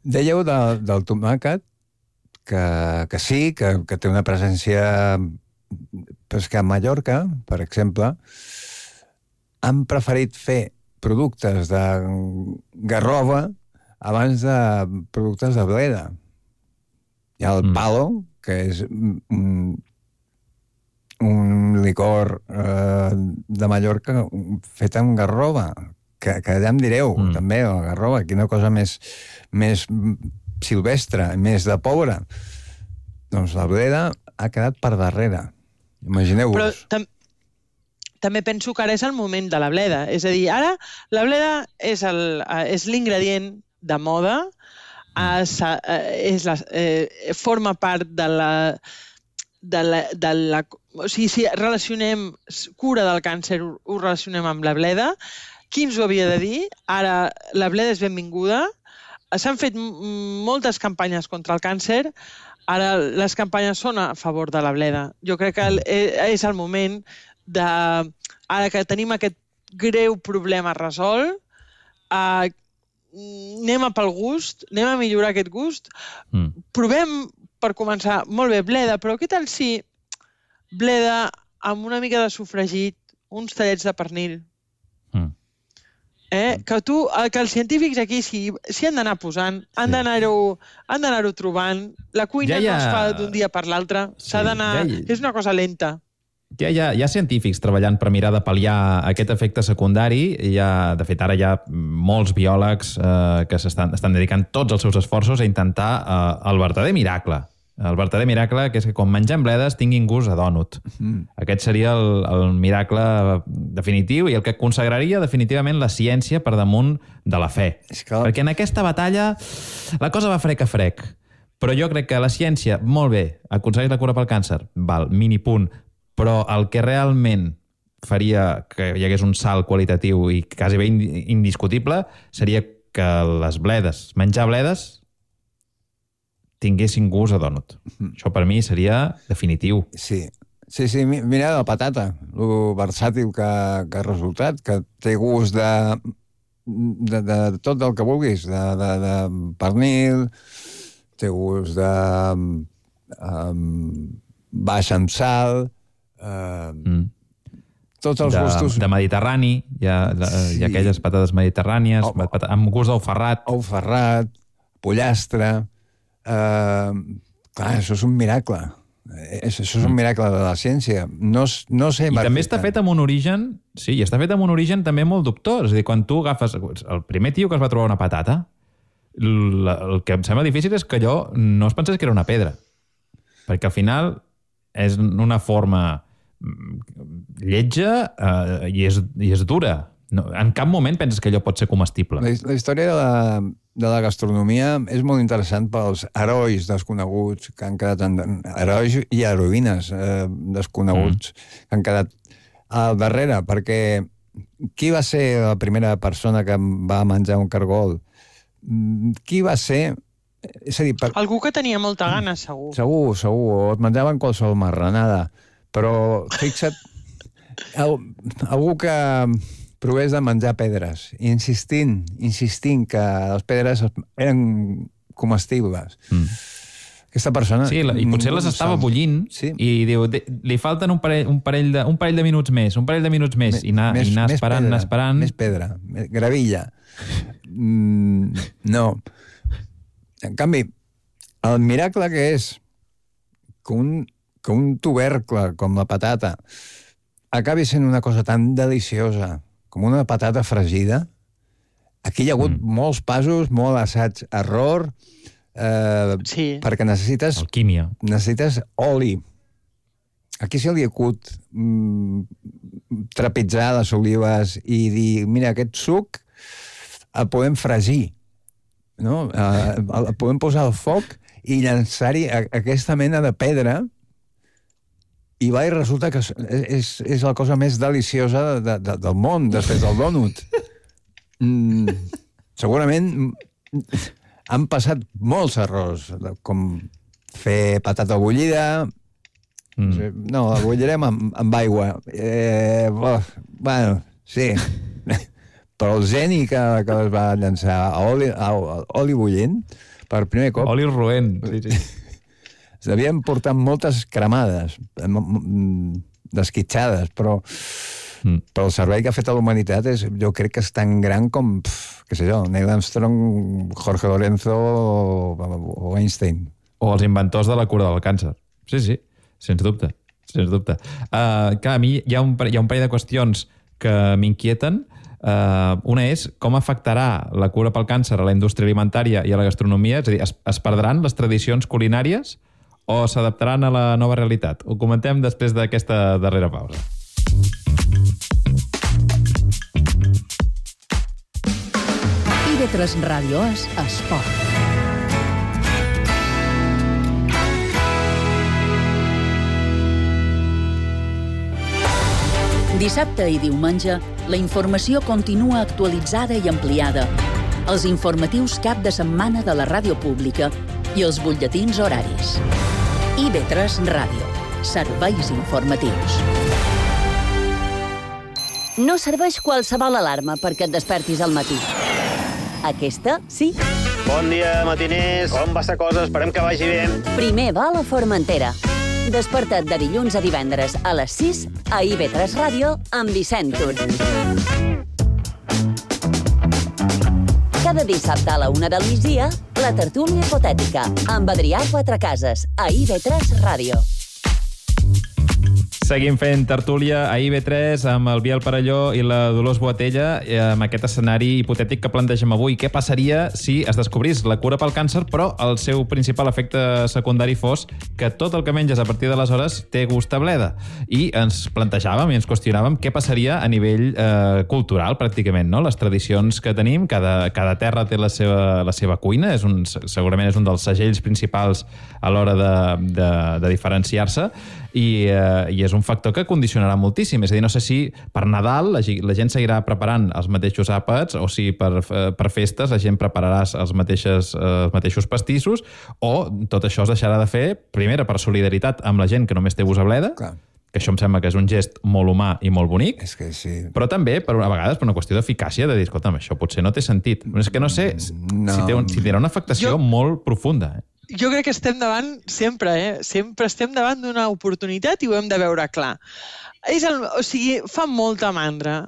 dèieu del tomàquet que sí, que té una presència, però és que a Mallorca, per exemple, han preferit fer productes de garrova abans de productes de bleda. Hi ha el palo, que és un licor de Mallorca fet amb garrova, que ja em direu, també, la garrova, quina cosa més silvestre, més de pobre. Doncs la bleda ha quedat per darrere. Imagineu-vos. Però també penso que ara és el moment de la bleda. És a dir, ara la bleda és l'ingredient de moda, forma part de la... O sigui, si relacionem cura del càncer, ho relacionem amb la bleda. Qui ens ho havia de dir? Ara la bleda és benvinguda. S'han fet moltes campanyes contra el càncer. Ara les campanyes són a favor de la bleda. Jo crec que és el moment de... Ara que tenim aquest greu problema resolt, anem a pel gust, anem a millorar aquest gust. Provem, per començar, molt bé, bleda, però què tal si bleda amb una mica de sofregit, uns tallets de pernil? Que els científics aquí s'hi han d'anar posant, han d'anar-ho trobant. La cuina no es fa d'un dia per l'altre, s'ha d'anar... És una cosa lenta. Hi ha científics treballant per mirar de pal·liar aquest efecte secundari. De fet, ara hi ha molts biòlegs que estan dedicant tots els seus esforços a intentar el verdader miracle. El verdader miracle, que és que quan mengem bledes tinguin gust a dònut. Aquest seria el miracle definitiu i el que consagraria definitivament la ciència per damunt de la fe. Perquè en aquesta batalla la cosa va frec a frec. Però jo crec que la ciència, molt bé, aconsegueix la cura pel càncer, val, mini punt, però el que realment faria que hi hagués un salt qualitatiu i quasi bé indiscutible seria que les bledes, menjar bledes, tinguessin gust a dònut. Això per mi seria definitiu. Sí, mira la patata, lo versàtil que ha resultat, que té gust de tot el que vulguis, de pernil, té gust de baix amb sal, tots els gustos... De mediterrani, hi ha aquelles patates mediterrànies, amb gust d'ou ferrat. Ou ferrat, pollastre... Clar, això és un miracle. Això és un miracle de la ciència. No sé... I també està fet amb un origen... Sí, i està fet amb un origen també molt dubtós. És a dir, quan tu agafes... El primer tio que es va trobar una patata, el que em sembla difícil és que allò no es pensés que era una pedra. Perquè al final és una forma lletja i és dura. En cap moment penses que allò pot ser comestible. La història de la gastronomia és molt interessant pels herois desconeguts que han quedat... Herois i heroïnes desconeguts que han quedat al darrere, perquè qui va ser la primera persona que va menjar un cargol? Qui va ser... És a dir, algú que tenia molta gana, segur. Segur, o et menjaven qualsevol marranada. Però, fixa't, algú que provés de menjar pedres, insistint que les pedres eren comestibles. Aquesta persona... Sí, i potser les estava bullint i diu, li falten un parell de minuts més, i anar esperant. Més pedra, gravilla. No. En canvi, el miracle que és que un tubercle com la patata acabi sent una cosa tan deliciosa com una patata fregida, aquí hi ha hagut molts passos, molt assaig-error, perquè necessites... Alquímia. Necessites oli. Aquí se li acut trepitjar les olives i dir, mira, aquest suc el podem fregir, no? El podem posar al foc i llançar-hi aquesta mena de pedra I va i resulta que és la cosa més deliciosa del món, després del dònut. Segurament han passat molts errors, com fer patata bullida. No, la bullirem amb aigua. Bueno, sí. Però el geni que es va llançar a oli bullint, per primer cop... Oli roent, sí. S'havien portat moltes cremades, desquitxades, però el servei que ha fet a la humanitat jo crec que és tan gran com, què sé jo, Neil Armstrong, Jorge Lorenzo o Einstein. O els inventors de la cura del càncer. Sí, sens dubte. Clar, a mi hi ha un parell de qüestions que m'inquieten. Una és com afectarà la cura pel càncer a la indústria alimentària i a la gastronomia, és a dir, es perdran les tradicions culinàries o s'adaptaran a la nova realitat? Ho comentem després d'aquesta darrera pausa. IB3 Ràdio és esport. Dissabte i diumenge, la informació continua actualitzada i ampliada. Els informatius cap de setmana de la ràdio pública i els butlletins horaris. IB3 Ràdio. Serveis informatius. No serveix qualsevol alarma perquè et despertis al matí. Aquesta, sí. Bon dia, matiners. Com va la cosa? Esperem que vagi bé. Primer va a la Formentera. Desperta't de dilluns a divendres a les 6 a IB3 Ràdio amb Vicent Tur. Cada dissabte a la 1 del migdia, la tertúlia hipotètica amb Adrià Quatrecases a IB3 Ràdio. Seguim fent tertúlia a IB3 amb el Biel Parelló i la Dolors Boatella amb aquest escenari hipotètic que plantegem avui. Què passaria si es descobrís la cura pel càncer, però el seu principal efecte secundari fos que tot el que menges a partir d'aleshores té gust a bleda? I ens plantejàvem i ens qüestionàvem què passaria a nivell cultural, pràcticament, no? Les tradicions que tenim, cada terra té la seva cuina, segurament és un dels segells principals a l'hora de diferenciar-se, i és un factor que condicionarà moltíssim. És a dir, no sé si per Nadal la gent seguirà preparant els mateixos àpats o si per festes la gent prepararà els mateixos pastissos, o tot això es deixarà de fer, primera, per solidaritat amb la gent que només té gust a bleda, que això em sembla que és un gest molt humà i molt bonic, és que sí. Però també, a vegades, per una qüestió d'eficàcia, de dir, escolta'm, això potser no té sentit. És que no sé si tindrà una afectació molt profunda. Jo crec que estem davant, sempre estem davant d'una oportunitat i ho hem de veure clar. Fa molta mandra.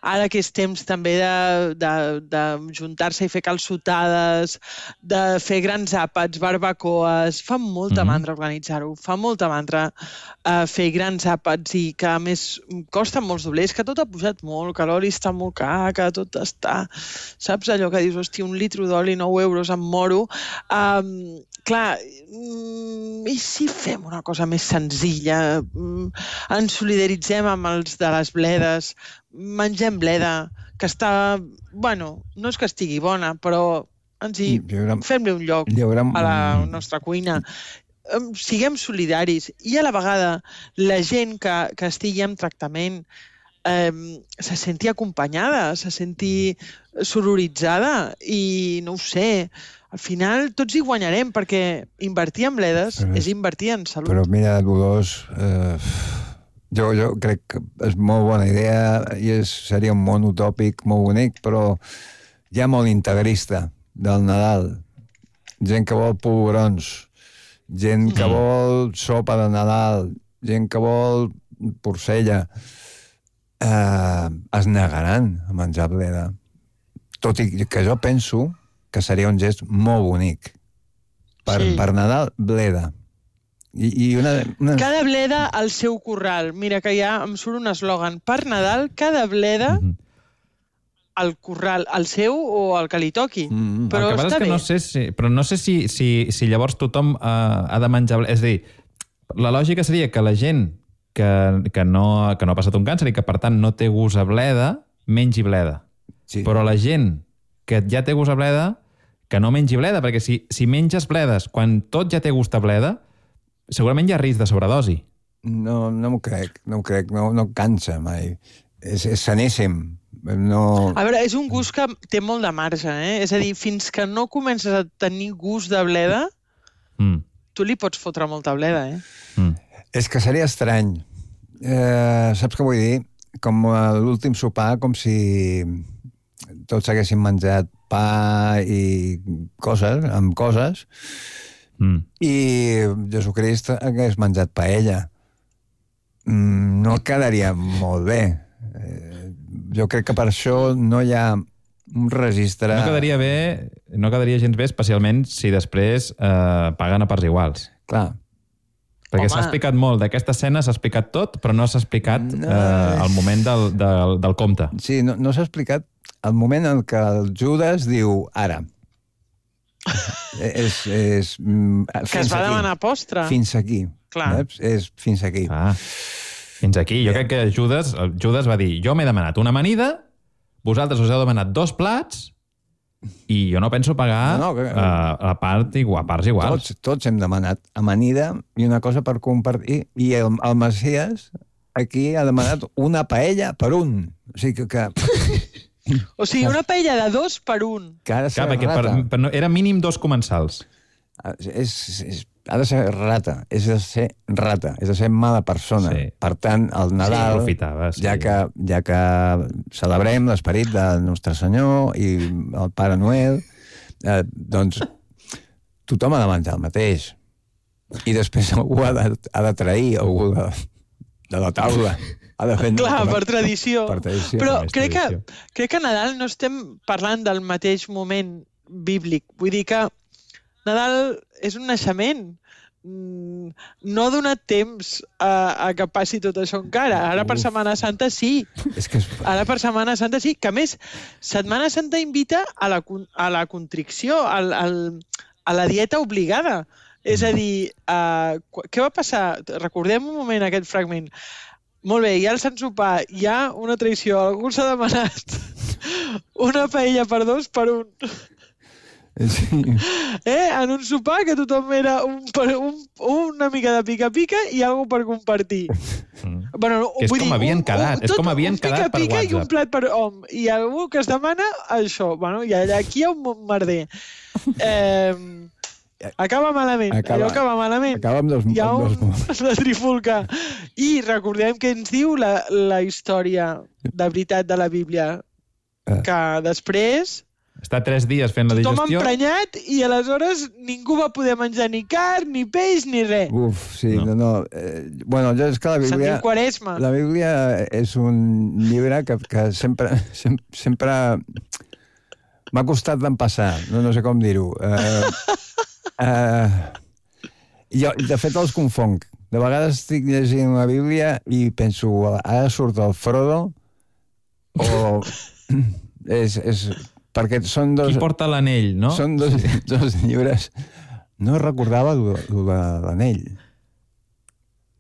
Ara que és temps també de juntar-se i fer calçotades, de fer grans àpats, barbacoes, fa molta mandra organitzar-ho, fa molta mandra fer grans àpats i que a més costen molts doblers, que tot ha pujat molt, que l'oli està molt car, que tot està... Saps allò que dius, hòstia, 1 litre d'oli, 9 euros, em moro. Clar, i si fem una cosa més senzilla? Ens solidaritzem amb els de les bledes, mengem bleda, que està... Bueno, no és que estigui bona, però fem-li un lloc a la nostra cuina. Siguem solidaris. I a la vegada la gent que estigui en tractament se senti acompanyada, se senti sororitzada i no ho sé, al final tots hi guanyarem perquè invertir en bledes és invertir en salut. Però mira, Dolors, jo crec que és molt bona idea i seria un món utòpic molt bonic, però hi ha molt integrista del Nadal. Gent que vol polvorons, gent que vol sopa de Nadal, gent que vol porcella. Es negaran a menjar bleda. Tot i que jo penso que seria un gest molt bonic. Per Nadal, bleda. Cada bleda al seu corral. Mira que ja em surt un eslògan. Per Nadal, cada bleda al corral, al seu o al que li toqui. Però el que està bé. No sé si llavors tothom ha de menjar bleda. És a dir, la lògica seria que la gent que no ha passat un càncer i que, per tant, no té gust a bleda, mengi bleda. Sí. Però la gent que ja té gust a bleda, que no mengi bleda, perquè si menges bledes quan tot ja té gust a bleda, Segurament hi ha risc de sobredosi. No m'ho crec, no cansa mai. És saníssim. No... A veure, és un gust que té molt de marge, És a dir, fins que no comences a tenir gust de bleda, tu li pots fotre molta bleda, És que seria estrany. Saps què vull dir? Com l'últim sopar, com si tots haguessin menjat pa i coses, i Jesucrist hagués menjat paella. No quedaria molt bé. Jo crec que per això no hi ha un registre... No quedaria gens bé, especialment si després paguen a parts iguals. Clar. Perquè s'ha explicat molt. D'aquesta escena s'ha explicat tot, però no s'ha explicat el moment del compte. Sí, no s'ha explicat el moment en què el Judas diu ara. Que es va demanar postre. Fins aquí. Clar. És fins aquí. Fins aquí. Jo crec que Judas va dir, jo m'he demanat una amanida, vosaltres us heu demanat 2 plats i jo no penso pagar a parts iguals. Tots hem demanat amanida i una cosa per compartir. I el Messias aquí ha demanat una paella per un. O sigui que... O sigui, una paella de 2 per 1. Que ha de ser rata. Era mínim 2 comensals. Ha de ser rata, és de ser mala persona. Sí. Per tant, el Nadal, ja que celebrem l'esperit del Nostre Senyor i el Pare Noel, doncs tothom ha de menjar el mateix. I després algú ha de trair algú de la taula. Clar, per tradició. Però crec que a Nadal no estem parlant del mateix moment bíblic. Vull dir que Nadal és un naixement. No ha donat temps a que passi tot això encara. Ara per Setmana Santa sí. Ara per Setmana Santa sí. Que a més, Setmana Santa invita a la contricció, a la dieta obligada. És a dir, què va passar? Recordem un moment aquest fragment. Molt bé, hi ha el Sant Sopar, hi ha una traïció, algú s'ha demanat una paella per 2 per 1. Sí. En un sopar que tothom era una mica de pica-pica i alguna per compartir. Bueno, és com havien quedat, per WhatsApp. Pica i un plat per hom. I algú que es demana això. Bueno, i aquí hi ha un merder. Acaba malament. Allò acaba malament. Acaba amb hi ha una trifulca. I recordem que ens diu la història de veritat de la Bíblia. Que després... Està 3 dies fent la digestió. Tothom emprenyat i aleshores ningú va poder menjar ni carn, ni peix, ni res. Sí, no. Bueno, jo és que la Bíblia... Sentim Quaresma. La Bíblia és un llibre que sempre m'ha costat d'empassar. No sé com dir-ho. Jo, de fet, els confonc. De vegades estic llegint la Bíblia i penso, ara surt el Frodo o... Perquè són dos... Qui porta l'anell, no? Són dos llibres. No recordava de l'anell.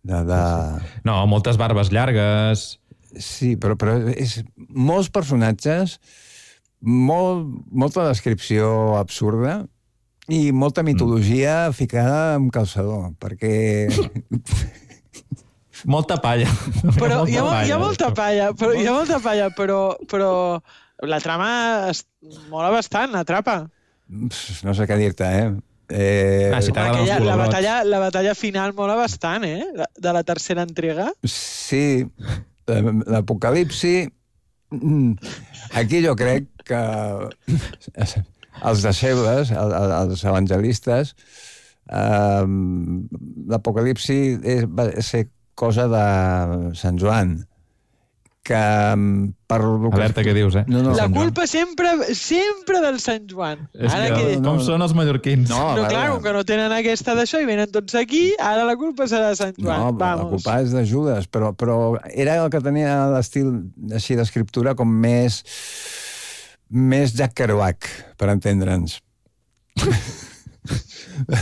No, moltes barbes llargues... Sí, però és molts personatges, molta descripció absurda i molta mitologia ficada amb calçador, perquè... Molta palla. Però hi ha molta palla, però la trama mola bastant, atrapa. No sé què dir-te, La batalla final mola bastant, de la tercera entrega. Sí, l'Apocalipsi... Aquí jo crec que els deixebles, els evangelistes, l'Apocalipsi va ser cosa de Sant Joan, que per... Alerta, què dius, La culpa sempre del Sant Joan. Com són els mallorquins. Clar, que no tenen aquesta d'això i venen tots aquí, ara la culpa serà de Sant Joan. No, la culpa és de Judas, però era el que tenia l'estil així d'escriptura com més Jack Kerouac, per entendre'ns.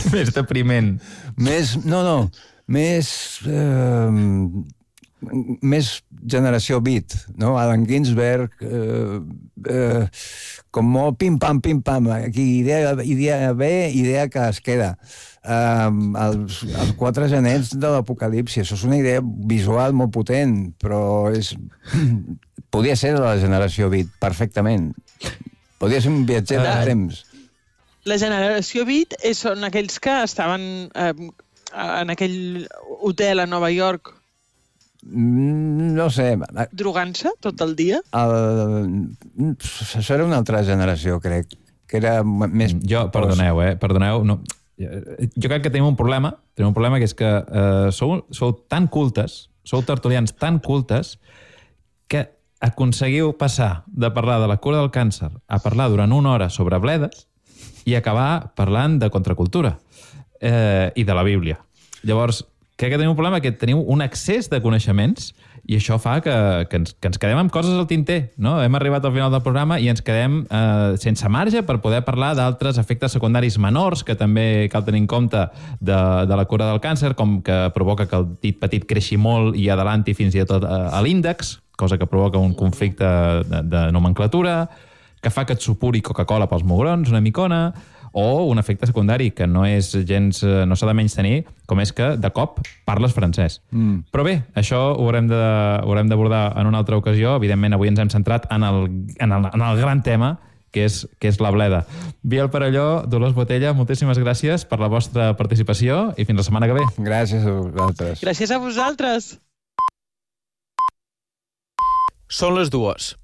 Més depriment. Més més generació beat, no? Allen Ginsberg, com molt pim-pam, aquí idea bé, idea que es queda. Els 4 genets de l'Apocalipsi, això és una idea visual molt potent, però podria ser de la generació beat, perfectament. Podria ser un viatger del temps. La generació beat són aquells que estaven en aquell hotel a Nova York. No sé. Drogant-se tot el dia? Això era una altra generació, crec, que era més... Perdoneu, no. Jo crec que tenim un problema que és que sou tan cultes, sou tertulians tan cultes, que aconseguiu passar de parlar de la cura del càncer a parlar durant 1 hora sobre bledes i acabar parlant de contracultura i de la Bíblia. Llavors, crec que tenim un problema, que teniu un excés de coneixements i això fa que ens quedem amb coses al tinter, no? Hem arribat al final del programa i ens quedem sense marge per poder parlar d'altres efectes secundaris menors que també cal tenir en compte de la cura del càncer, com que provoca que el dit petit creixi molt i adelanti fins i tot a l'índex, cosa que provoca un conflicte de nomenclatura, que fa que et supuri Coca-Cola pels mugrons, una micona, o un efecte secundari que no és gens, no s'ha de menys tenir, com és que de cop parles francès. Però bé, això ho haurem d'abordar en una altra ocasió. Evidentment, avui ens hem centrat en el gran tema, que és la bleda. Biel Perelló, Dolors Botella, moltíssimes gràcies per la vostra participació i fins la setmana que ve. Gràcies a vosaltres. Gràcies a vosaltres. Són les 2.